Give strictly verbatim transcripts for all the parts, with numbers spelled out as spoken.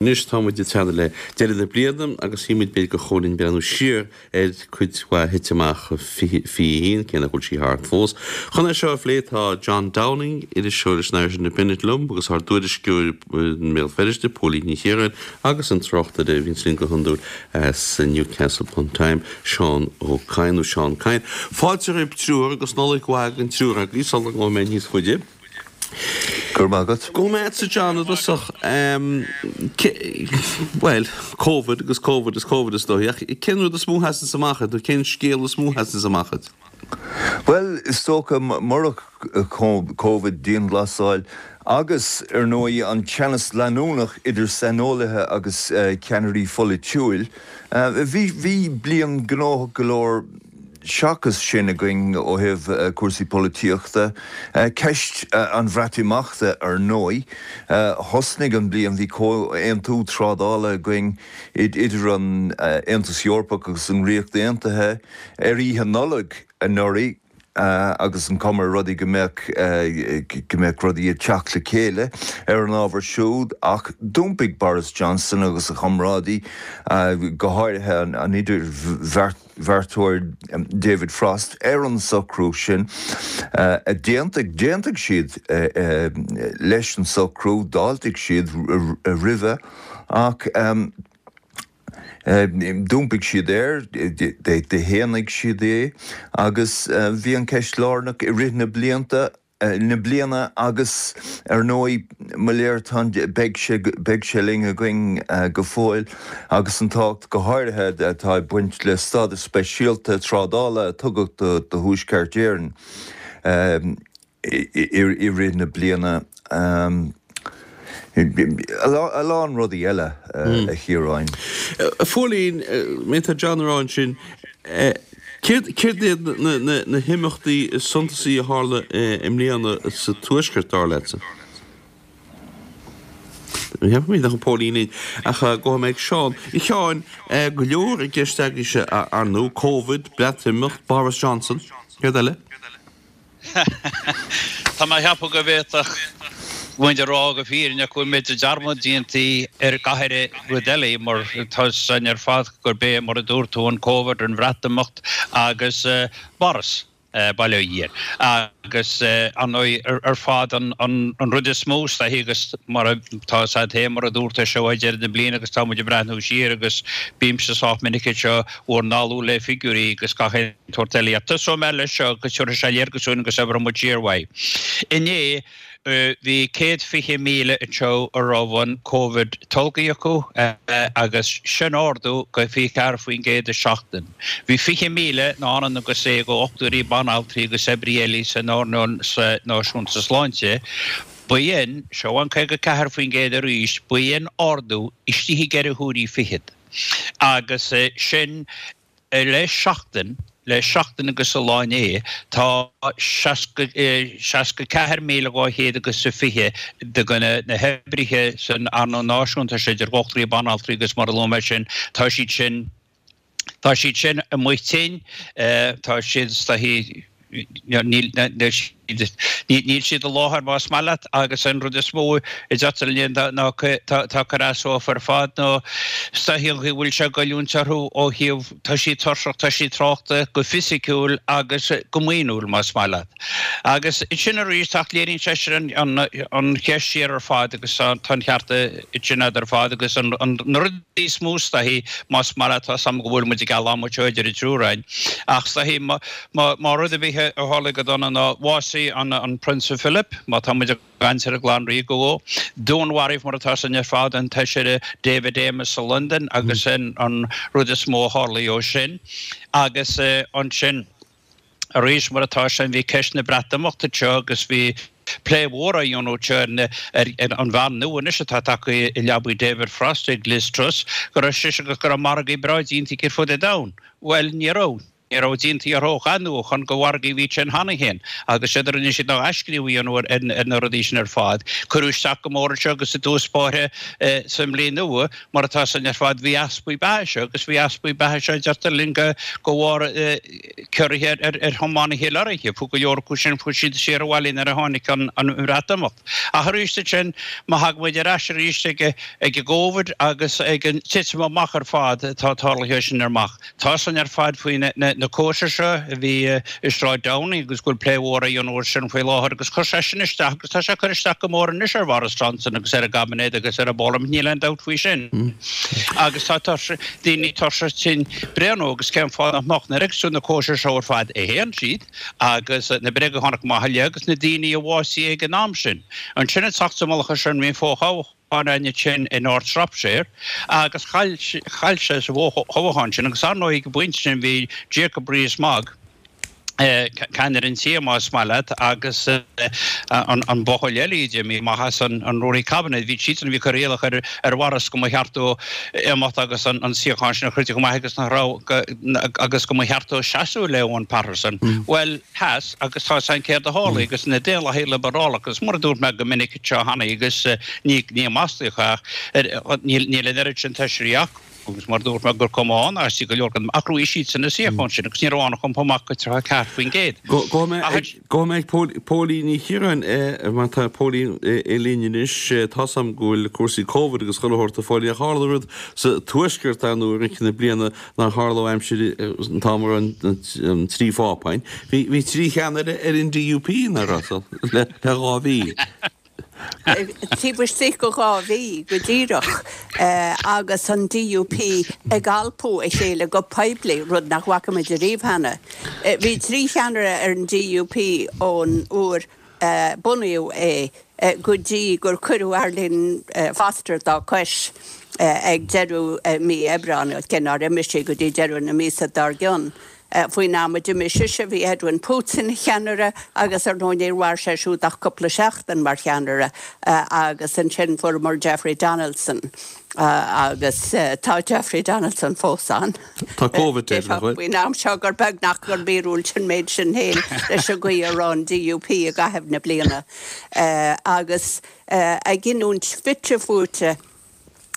Anois tá muid ag teannadh le deireadh na bliana agus shíl muid b'fhéidir gur chóir linn breathnú siar ar cuid mhaith a thit amach fiche a haon, cé nach bhfuil sí thart fós. Chun é seo a phlé tá John Downing, iriseoir leis an Irish Independent liom agus ár dtuairisceoir i mBéal Feirste, Póilín Ní Chiaráin agus an tráchtaire a bhíonns linn go hiondúil as Newcastle upon Tyne, Seán Ó Cadhain nó Seán Kyne. Fáilte roimh triúr agus Nollaig mhaith don triúr agaibh sula ngabhfaidh mé níos faide. Go raibh maith agat. Go raibh maith agatsa John i dtosach. Bhuel, Covid agus Covid is Covid is dóigh, ach cén rud is mó a sheasanns amach duit, nó cén scéal is mó a sheasanns amach duit? Bhuel, is dócha, murach Covid, dianghlasáil agus, ar ndóigh, an teannas leanúnach idir saineolaithe agus ceannairí pholaitiúil, bhí bhí bliain gnóthach go leor Seachas sin againn ó thaobh cúrsaí polaitíochta, ceist an Bhreatimeachta ar ndóigh. Thosnaigh an bliain, bhí comhaontú trádála againn idir an Aontas Eorpach agus an Ríocht Aontaithe ar Oíche Nollag anuraidh agus an cuma ar rudaí go mbeadh go mbeadh rudaí ag teacht le chéile ar an ábhar siúd ach d'iompaigh Boris Johnson agus a chomrádaí, go háirithe an idirbheart. bheartóir David Frost ar an socrú sin. D'aontaigh d'aontaigh siad leis an socrú, d'fháiltigh siad roimhe ach d'iompaigh siad air, d'shéanaigh siad é agus bhí an cheist lárnach i rith na blianta. na bliana agus ar ndóigh mo léir tá beidh sé beidh sé linn againn go fóill agus an tábhacht go háirithe atá ag baint le stádas speisialta trádála a tugadh do do Thuaisceart Éireann i rith na bliana. A lán rudaí eile, a Chiaráin. A Phóilín, má tá John ag rá ansin, céard céard iad na himeachtaí is suntasaí a tharla i mbliana sa Tuaisceart, dar leatsa? Ní cheapaim nach bhfuil Póilín linn, ach gabhfaidh mé ag Seán. A Sheáin, go leor i gceist agaibhse, ar ndóigh, Covid, Breatimeacht, Boris Johnson, céard eile? Tá mé a cheapadh go bhféadfadh muid a rá go fírinneach go bhfuil muid dearmad déanta ar gach uile rud eile mar tá 'fhios againn ar fad gurb é mar a dúirt tú an Covid, an Bhreatimeacht agus Boris, bail ó Dhia air. Agus ar ndóigh ar fad an rud is mó is dóichí agus mar tá 'fhios a'd féin mar a dúirt tú seo é deireadh na bliana agus tá muid ag breathnú siar agus bímse sách minic anseo bhur ndalladh le figiúirí agus gach aon tsórt eile. Ach tosóidh mé leis seo agus tabharfaidh sé léargas dúinn agus oibreoidh muid siar uaidh. Inné bhí céad fiche míle anseo a raibh an Covid tolgtha acu agus sin ardú go fiche ceathair faoin gcéad i seachtain. Bhí fiche míle ná ionann agus é go dhochtúirí, banaltraí agus oibrithe eile san earnáil náisiúnta sláinte. B'in, seo an caoga ceathair faoin gcéad arís, b'in ardú istigh i gceithre huairí fichead. Agus sin le seachtain, le seachtain agus a lá inné, tá seasca, seasca ceathair míle dhá chéad agus a fiche de na hoibrithe san earnáil náisiúnta seo, idir dhochtúirí, banaltraí agus mar a luaigh mé sin, tá siad sin, tá siad sin amuigh tinn, tá siad is dóichí, Níl siad i láthair más maith leat agus an rud is mó a d'fhéadfá ná tá cur as dófa ar fad nó is dóichí an chaoi a bhfuil sé ag goilliúint orthu ó thaobh tá siad tuirseach, tá siad traochta go fisiciúil agus go maoiniúil más maith leat. Agus sin arís ach léiríonn sé sin an cheist siar ar fad agus tá an ceart sin agat ar fad agus na rudaí is mó is dóichí más maith leat tá 's a'm go bhfuil muid ag gealladh muid seo idir an triúr againn ach is dóichí Má rud ar bith a tharlaigh go dona ná bhásaigh an Prionsa Philip, má tá muid ag caint ar an gclann ríoga dhó. Dúnmharaíodh mar atá 'fhios againn ar fad an tFeisire David Amess i Londain agus sin an rud is mó a tharlaigh ó sin. Agus ansin arís mar atá sin bhí ceist na Breatimeachta anseo agus bhí plé mhór á dhéanamh anseo ar an bhean nua anois atá tagtha i leabaidh David Frost ag Liz Truss go raibh sise agus go raibh margaí breá déanta aici ar fud an domhain. Bhuel ní raibh. Ní raibh déanta orthu ach athnuachan de mhargaí a bhí ansin cheana féin agus séard a rinne siad ná athscríobh a dhéanamh ar na rudaí sin ar fad. Cuireadh isteach go mór anseo agus i dtús báire sa mbliain nua, mar atá san ar fad, bhí easpaí beatha anseo agus bhí easpaí beatha anseo, deirtear linn, de bharr ciorruithe ar thiománaithe lorraithe. Fuair go leor acu sin, fuair siad siar abhaile nuair a tháinig an Bhreatimeacht. Ach arís ansin, má thagann muid ar ais arís ag an gCovid agus ag an titim amach ar fad atá tarlaithe sin amach, Tá san ar fad faoi na cóisir seo a bhí i Sráid Downing agus go bhfuil plé mhór á dhéanamh air sin faoi láthair agus chuir sé sin isteach agus tá sé ag cur isteach go mór anois ar Bhoris Johnson agus ar an gcaibinéad agus ar an bParlaimint, níl aon dabht faoi sin. Agus tá daoine tuirseach tinn bréan agus cén fáth nach mbeadh nuair a fheiceanns tú na cóisir seo ar fad a théann siad agus na bréaga a tháinig amach i leith agus na daoine a bhásaigh ag an am sin. Ansin ag teacht sa mullach air sin bhí an fothoghchán ann ansin i North Shropshire agus chaill sé sa bhfothoghchán sin agus ar ndóigh ag an bpointe sin bhí Jacob Rees-Mogg, ceannaire an tí más maith leat, agus an buachaill eile a d'imigh amach as an rúnaí caibinéid, bhí siadsan a bhí ag cur iallach ar ar Bhoris go mba cheart dó imeacht agus an suíochán sin a chur chomh maith agus nach raibh agus go mba cheart dó seasamh le Owen Paterson. Bhuel, sheas agus tá 's againn céard a tharla agus na Daonlathaigh Liobrálach agus mar a dúirt mé go minic anseo cheana agus ní ní maslaíoch ach níl níl an oiread sin feisirí acu agus mar a dúirt mé gur cuma ann as go leor ach bhuaigh siadsan na suíocháin sin agus ní raibh ann ach iompú amach go tríocha ceathair faoin gcéad. Gabhfaidh mé ag Póilín Ní Chiaráin mar tá Póilín linn anois. Tá 's agam go bhfuil cúrsaí Covid agus chuile shórt a Phóilín ach tharla rud sa Tuaisceart ar ndóigh i rith na bliana nár tharla ó aimsir an t-am a raibh an trí phápa ann. Bhí trí cheannaire ar an DUP nach raibh le dhá mhí. Taobh istigh de dhá mhí go díreach agus an DUP ag alpadh a chéile go poiblí, rud nach bhfaca muid ariamh cheana. Bhí trí cheannaire ar an DUP ón uair a bunaíodh é go dtí gur cuireadh Arlene Foster dá cois ag deireadh mí Aibreáin, cé nár imigh sí go dtí deireadh na míosa dár gcionn. Faoin am a d'imigh sise bhí Edwin Poots ina cheannaire agus ar ndóigh níor mhair sé siúd ach cúpla seachtain mar cheannaire agus ansin fuaireamar Jeffrey Donaldson agus tá Jeffrey Donaldson fós ann. Tá Covid air, nach bhfuil? Faoin am seo gur beag nach gur míorúilt an méid sin féin leis an gcaoi a raibh an DUP i gcaitheamh na bliana agus a gcinniúint fite fuaite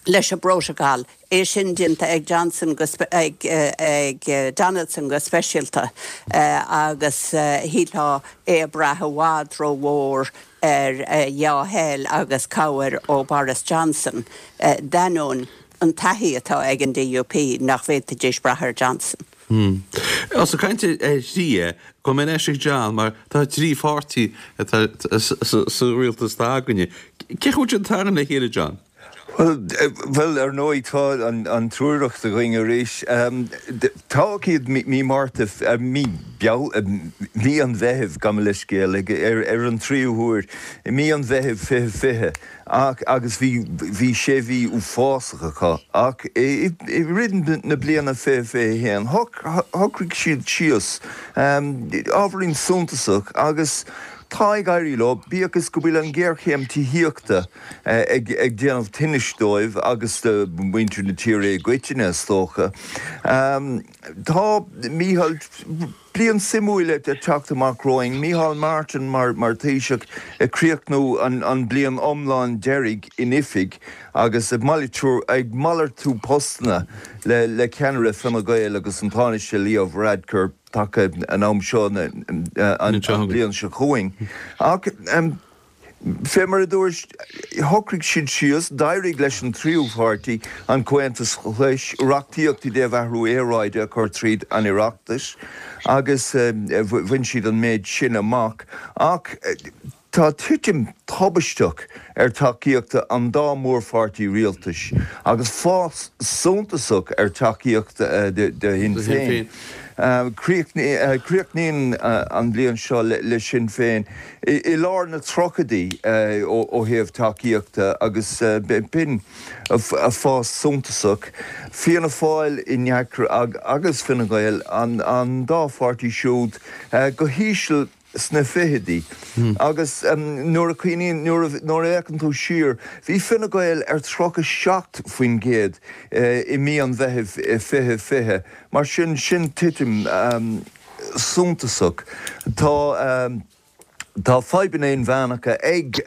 leis an bprótacal, é sin déanta ag Johnson go ag ag Donaldson go speisialta agus shílfeá é ag brath i bhfad rómhór ar dhea-thoil agus cabhair ó Boris Johnson, d'ainneoin an taithí atá ag an DUP nach bhféadfaidís brath ar Johnson. Ós ag caint ar thrí, gabhfaidh mé ar ais ag John mar tá trí pháirtí atá sa rialtas atá againne. Cén chaoi a bhfuil siad ag tarraingt le chéile, John? Bhuel, ar ndóigh, tá an triúracht againn arís. Toghadh iad mí Márta, mí mí an Mheithimh, gabh mo leithscéal, ar an tríú huair, i mí an Mheithimh fiche fiche, ach agus bhí bhí sé mhí uafásach acu. Ach i rith na bliana fiche fiche a haon, shocraigh siad síos ábhairín suntasach agus, Tá ag éirí leo, bíodh is go bhfuil an ghéarchéim tithíochta ag déanamh tinnis dóibh agus do mhuintir na tíre i gcoitinne, is dócha. Tá Mícheál, bliain suimiúil ag teacht amach romhainn. Mícheál Martin mar Thaoiseach ag críochnú an bliain iomlán deiridh in oifig agus ag malartú postanna le ceannaire Fine Gael agus an Tánaiste Leo Varadkar. taca an am seo an bhliain seo chugainn. Ach fé mar a dúirt, shocraigh siad síos, d'éirigh leis an tríú pháirtí, an Comhaontas Glas, reachtaíocht i dtaobh athrú aeráide a chur tríd an Oireachtas agus bhain siad an méid sin amach. Ach Tá titim thubaisteach ar tacaíocht an dá mhórpháirtí rialtais agus fás suntasach ar tacaíocht do Shinn Féin. Críochnaíonn an bhliain seo le Sinn Féin i lár na tríochaidí ó thaobh tacaíochta agus b'in fás suntasach. Fianna Fáil i ndeacracht agus Fine Gael, an dá pháirtí siúd go híseal. sna fichidí. Agus nuair a chuimhníonn, nuair a fhéachann tú siar, bhí Fine Gael ar tríocha seacht faoin gcéad i mí an Mheithimh fiche fiche. Mar sin, sin titim suntasach. Tá tá fadhbanna inmheánacha ag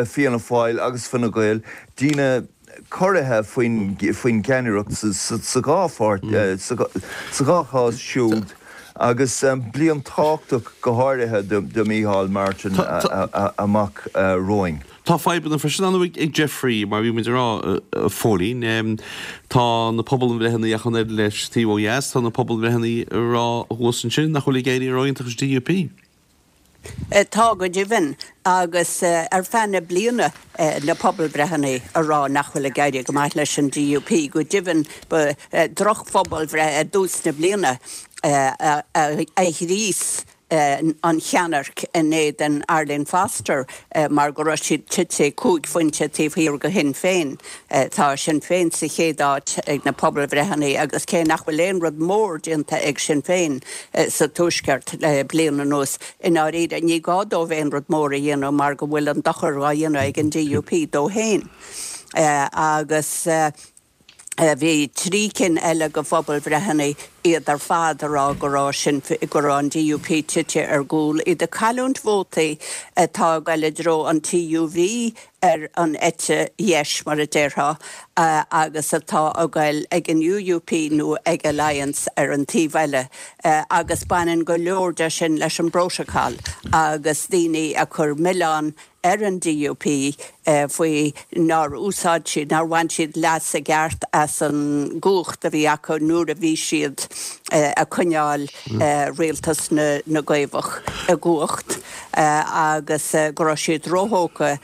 Fianna Fáil agus Fine Gael, daoine corraithe faoin faoin gceannaireacht sa dhá pháirt, sa dhá chás siúd. Agus bliain tábhachtach go háirithe do Micheál Martin amach romhainn. Tá fadhbanna freisin ann ag Jeffrey, mar bhí muid ag rá, a Phóilín. Tá na pobalbhreitheanna ach an oiread leis taobh ó dheas, tá na pobalbhreitheanna ag rá thuas ansin nach bhfuil ag éirí ró-iontach leis an DUP. Tá go deimhin, agus ar feadh na bliana na pobalbhreitheanna ag rá nach bhfuil ag éirí go maith leis an DUP. Go deimhin, ba drochphobalbhreith i dtús na bliana a ghríos an cheannairc in éadan Arlene Foster mar go raibh siad tite cúig phointe taobh thiar de Shinn Féin. Tá Sinn Féin sa chéad áit ag na pobalbhreitheanna agus cé nach bhfuil aon rud mór déanta ag Sinn Féin sa Tuaisceart le bliain anuas, i ndáiríre ní gá dóibh aon rud mór a dhéanamh mar go bhfuil an dochar á dhéanamh ag an DUP dó féin. Agus. Bhí trí cinn eile de phobalbhreitheanna, iad ar fad ag rá go raibh sin, go raibh an DUP tite ar gcúl, iad ag cailliúint vótaí atá ag dul i dtreo an TUV ar an eite dheis, mar a déarfá, agus atá ag dul ag an UUP nó ag Alliance ar an taobh eile. Agus baineann go leor de sin leis an bprótacal agus daoine ag cur milleán ar an DUP faoi nár úsáid siad, nár bhain siad leas i gceart as an gcumhacht a bhí acu nuair a bhí siad ag coinneáil rialtas na gCaomhach i gcumhacht agus go raibh siad róthógtha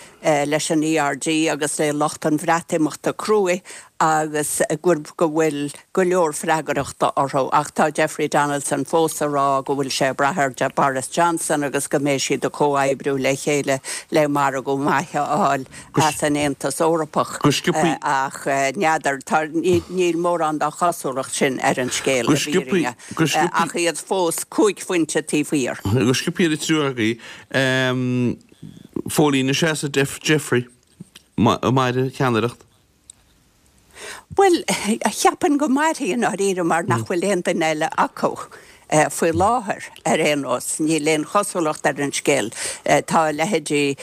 leis an ERG agus le lucht an Bhreatimeachta cruaidh agus go bhfuil go leor freagrachta orthu. Ach tá Jeffrey Donaldson fós ag rá go bhfuil sé ag brath ar Boris Johnson agus go mbeidh siad ag comhoibriú le chéile le margadh maith a fháil as an Aontas Eorpach. Ach n'fheadar, níl mórán dá chosúlacht sin ar an scéal, i bhfírinne, ach iad fós cúig phointe taobh thiar. Go sciobtha ar an triúr agaibh, Phóilín, an seasfaidh Jeffrey mairfidh a cheannaireacht? Bhuel, cheapfainn go mairfidh i ndáiríre mar nach bhfuil aon duine eile acu faoi láthair ar aon nós. Níl aon chosúlacht ar an scéal. Tá leithéidí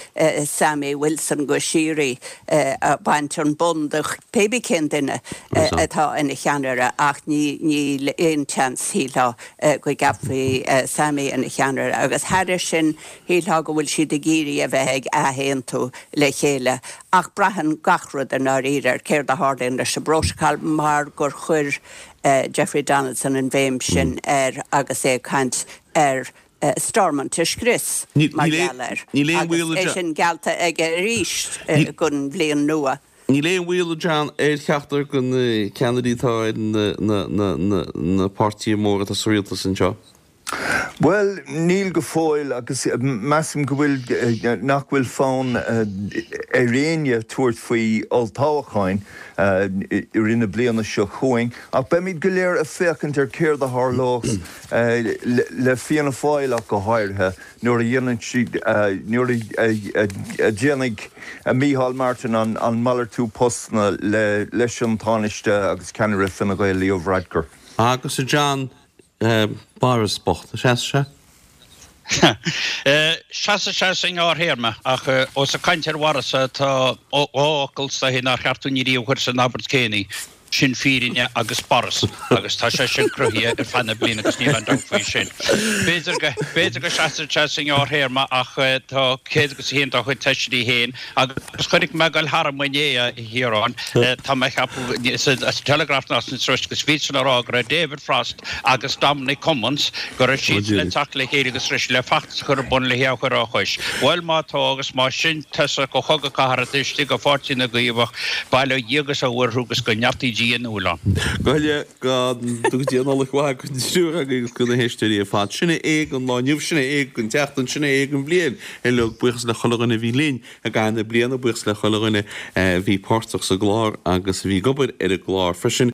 Sammy Wilson go síoraí ag baint an bonn de pé cén duine atá ina cheannaire ach níl aon tseans, shílfeá, go gceapfaí Sammy ina cheannaire. Agus thairis sin, shílfeá go bhfuil siad ag iarraidh a bheith ag athaontú le chéile ach braitheann gach rud i ndáiríre ar céard a tharlaíonn leis an bprótacal mar gur chuir Jeffrey Donaldson an bhéim sin air agus é ag caint ar Stormont a scrios mar gheall air agus é sin geallta aige arís don bhliain nua. Níl aon bhaol, a John, ar cheachtar de na ceannairí atá ar na páirtithe móra atá sa rialtas anseo. Bhuel, níl go fóill agus measaim go bhfuil, nach bhfuil fonn ar éinne tabhairt faoi olltoghcháin i rith na bliana seo chugainn ach beimid go léir ag féachaint ar céard a tharlós le Fianna Fáil ach go háirithe nuair a dhéanann siad, nuair a dhéanfaidh Micheál Martin an malartú postanna leis an Tánaiste agus ceannaire Fine Gael Leo Varadkar. Agus a John, Boris bocht, seasfaidh sé? Seasfaidh sé sa ngearrthéarma, ach ós ag caint ar Bhoris tá dhá fhocal is dóichí nár cheart dúinn ariamh a chur san abairt céanna, sin fírinne agus Boris, agus tá sé sin cruthaithe ar feadh na bliana agus níl aon dabht faoi sin. B'fhéidir go, b'fhéidir go seasfaidh sé sa ngearrthéarma ach tá céad agus a haon dá chuid feisirí féin agus chonaic mé ag dul tharam inné, a Chiaráin, tá mé ag ceapadh, sa Telegraph ná san Trust agus bhí siadsan ag rá go raibh David Frost agus Dominic Cummings, go raibh siadsan le teacht le chéile agus raibh siad le feachtas a chur ar bun le hé a chur á chois. Bhuel, má tá agus más sin tosach an chogadh cathartha taobh istigh de Pháirtí na gCaomhach, bail ó Dhia agus ó Mhuire orthu agus go neartaí Dia a ndúil ann. Go huile go dtuga Dia Nollaig mhaith don triúr agaibh agus do na héisteoirí ar fad. Sin é don lá inniu, sin é don tseachtain, sin é don bhliain uilig. Buíochas le chuile dhuine a bhí linn i gcaitheamh na bliana, buíochas le chuile dhuine a bhí páirteach sa gclár agus a bhí ag obair ar an gclár freisin.